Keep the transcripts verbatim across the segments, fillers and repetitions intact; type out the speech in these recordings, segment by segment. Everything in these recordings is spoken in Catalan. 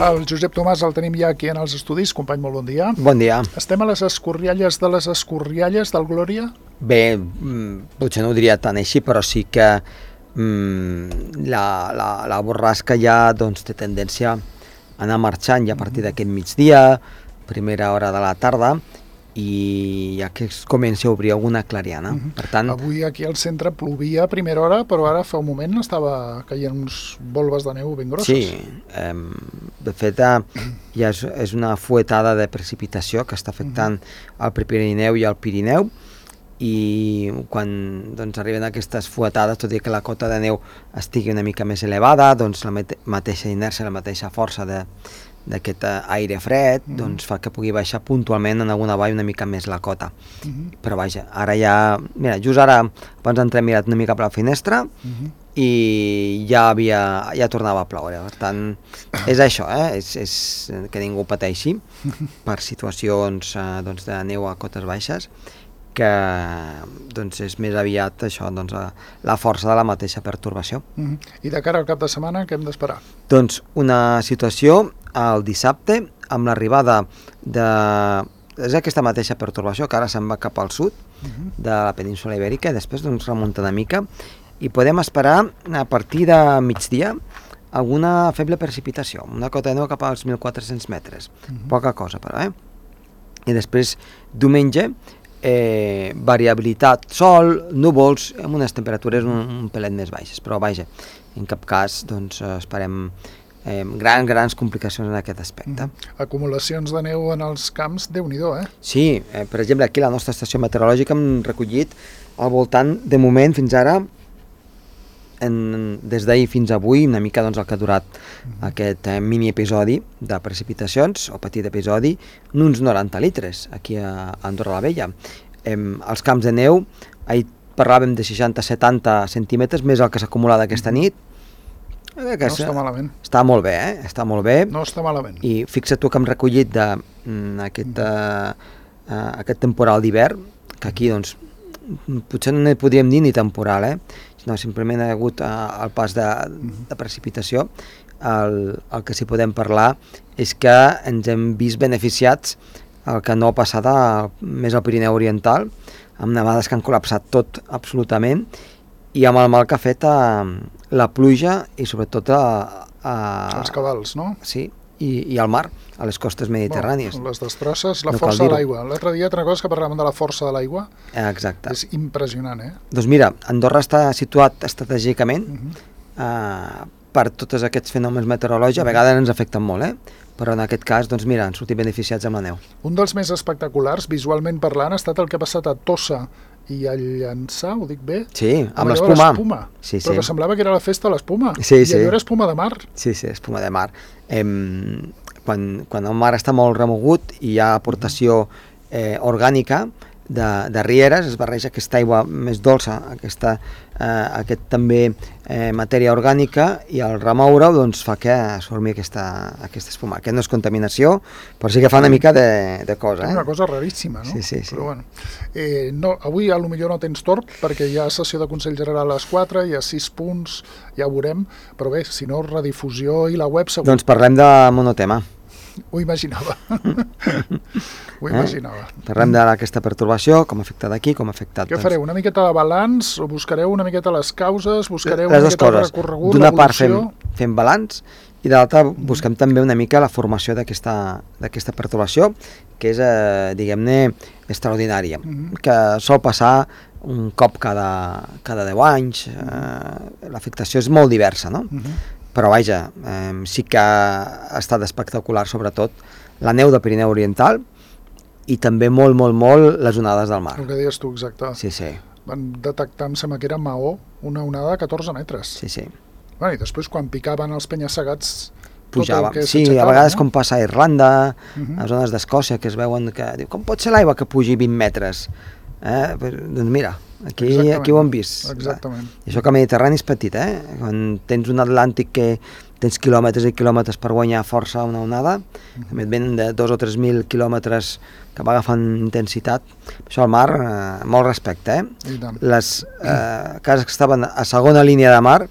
El Josep Tomàs el tenim ja aquí en els estudis. Company, molt bon dia. Bon dia. Estem a les escorrialles de les escorrialles del Glòria? Bé, potser no ho diria tan així, però sí que mm, la, la, la borrasca ja doncs, té tendència a anar marxant ja a partir d'aquest migdia, primera hora de la tarda, i ja que es comença a obrir alguna clariana. Uh -huh. Per tant, avui aquí al centre plovia a primera hora, però ara fa un moment estava caient uns volves de neu ben grosses. Sí, eh, de fet ja és, és una fuetada de precipitació que està afectant uh -huh. el Prepirineu i el Pirineu, i quan doncs, arriben aquestes fuetades, tot i que la cota de neu estigui una mica més elevada, doncs la mateixa inèrcia, la mateixa força de d'aquest aire fred, mm. doncs fa que pugui baixar puntualment en alguna vall una mica més la cota. Mm -hmm. Però vaja, ara ja... Mira, just ara, abans entrem mirat una mica per la finestra mm -hmm. i ja havia... ja tornava a ploure. Per tant, és això, eh? És, és que ningú pateixi per situacions eh, doncs, de neu a cotes baixes, que doncs, és més aviat això, doncs, la força de la mateixa pertorbació. Mm-hmm. I de cara al cap de setmana, què hem d'esperar? Doncs una situació el dissabte amb l'arribada de... és aquesta mateixa pertorbació que ara se'n va cap al sud mm-hmm. de la península Ibèrica i després doncs, remunta una mica i podem esperar a partir de migdia alguna feble precipitació, una cota de neu cap als mil quatre-cents metres, mm-hmm. poca cosa però, eh? I després diumenge Eh, variabilitat, sol, núvols, amb unes temperatures un, un pelet més baixes, però vaja, en cap cas doncs, esperem eh, grans, grans complicacions en aquest aspecte. Mm. Acumulacions de neu en els camps, Déu-n'hi-do, eh? Sí, eh, per exemple, aquí a la nostra estació meteorològica hem recollit al voltant, de moment, fins ara, en, des d'ahir fins avui, una mica doncs, el que ha durat mm. aquest eh, mini episodi de precipitacions, o petit episodi, uns noranta litres aquí a Andorra la Vella. Em, els camps de neu, ahir parlàvem de seixanta a setanta centímetres, més el que s'ha acumulat aquesta nit. Eh, que no està malament. Està molt bé, eh? Està molt bé. No està malament. I fixa't tu que hem recollit de, mm, aquest, uh, uh, aquest temporal d'hivern, que aquí doncs potser no ne podríem dir ni temporal, eh? No, simplement ha hagut uh, el pas de, de precipitació. El, el que sí podem parlar és que ens hem vist beneficiats el que no ha passat a, més al Pirineu Oriental, amb nevades que han col·lapsat tot absolutament i amb el mal que ha fet a, la pluja i sobretot a, a... els cabals, no? Sí, i, i al mar, a les costes mediterrànies. Bueno, les destrosses, la no força de l'aigua. L'altre dia, altra cosa que parlàvem de la força de l'aigua. Exacte. És impressionant, eh? Doncs mira, Andorra està situat estratègicament uh-huh. uh, per tots aquests fenòmens meteorològics, a vegades ens afecten molt, eh? Però en aquest cas, doncs mira, han sortit beneficiats amb la neu. Un dels més espectaculars, visualment parlant, ha estat el que ha passat a Tossa i a Llançà, ho dic bé? Sí, amb l'espuma. Sí, sí. Però que semblava que era la festa de l'espuma. Sí, I sí. allò era espuma de mar. Sí, sí, espuma de mar. Em, quan, quan el mar està molt remogut i hi ha aportació eh, orgànica de, de rieres, es barreja aquesta aigua més dolça, aquesta, eh, aquest també eh, matèria orgànica, i al remoure doncs, fa que es formi aquesta, aquesta espuma. Aquest no és contaminació, però sí que fa una mica de, de cosa. És una eh? cosa raríssima, no? Sí, sí, sí. Però, bueno, eh, no, avui a lo millor no tens tort, perquè hi ha sessió de Consell General a les quatre, hi ha sis punts, ja ho veurem, però bé, si no, redifusió i la web segur. Doncs parlem de monotema. Ho imaginava. Ho imaginava. Eh? Parlem d'aquesta pertorbació, com ha afectat aquí, com ha afectat... Què fareu? Una miqueta de balanç? O buscareu una miqueta les causes? Buscareu les una miqueta coses. el recorregut, D'una part fem, l'evolució? fem balanç i de l'altra busquem també una mica la formació d'aquesta d'aquesta pertorbació, que és, eh, diguem-ne, extraordinària, mm-hmm. que sol passar un cop cada, cada deu anys. Eh, l'afectació és molt diversa, no? Mm-hmm. Però vaja, eh, sí que ha estat espectacular, sobretot la neu del Pirineu Oriental i també molt, molt, molt les onades del mar. El que deies tu, exacte. Sí, sí. Van detectar, em sembla que era Maó, una onada de catorze metres. Sí, sí. Bueno, i després quan picaven els penya-segats pujava. Sí, a vegades no? Com passa a Irlanda, uh-huh. a zones d'Escòcia, que es veuen que... Diu, com pot ser l'aigua que pugi vint metres? Eh? Doncs mira, aquí, aquí ho hem vist. Exactament. I això que el Mediterrani és petit, eh? Quan tens un Atlàntic que tens quilòmetres i quilòmetres per guanyar força una onada, uh-huh. també et venen de dos o tres mil quilòmetres que va agafant intensitat. Això al mar, eh, molt respecte, eh? Les eh, cases que estaven a segona línia de mar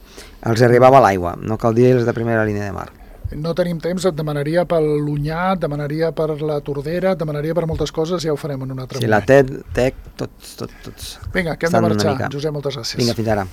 els arribava l'aigua, no cal dir les de primera línia de mar. No tenim temps, et demanaria pel Lunyà, et demanaria per la Tordera, et demanaria per moltes coses, ja ho farem en un altre Sí, moment. la T E C, tots, tots, tots. Vinga, que hem estan de una marxar. mica. Josep, moltes gràcies. Vinga, fins ara.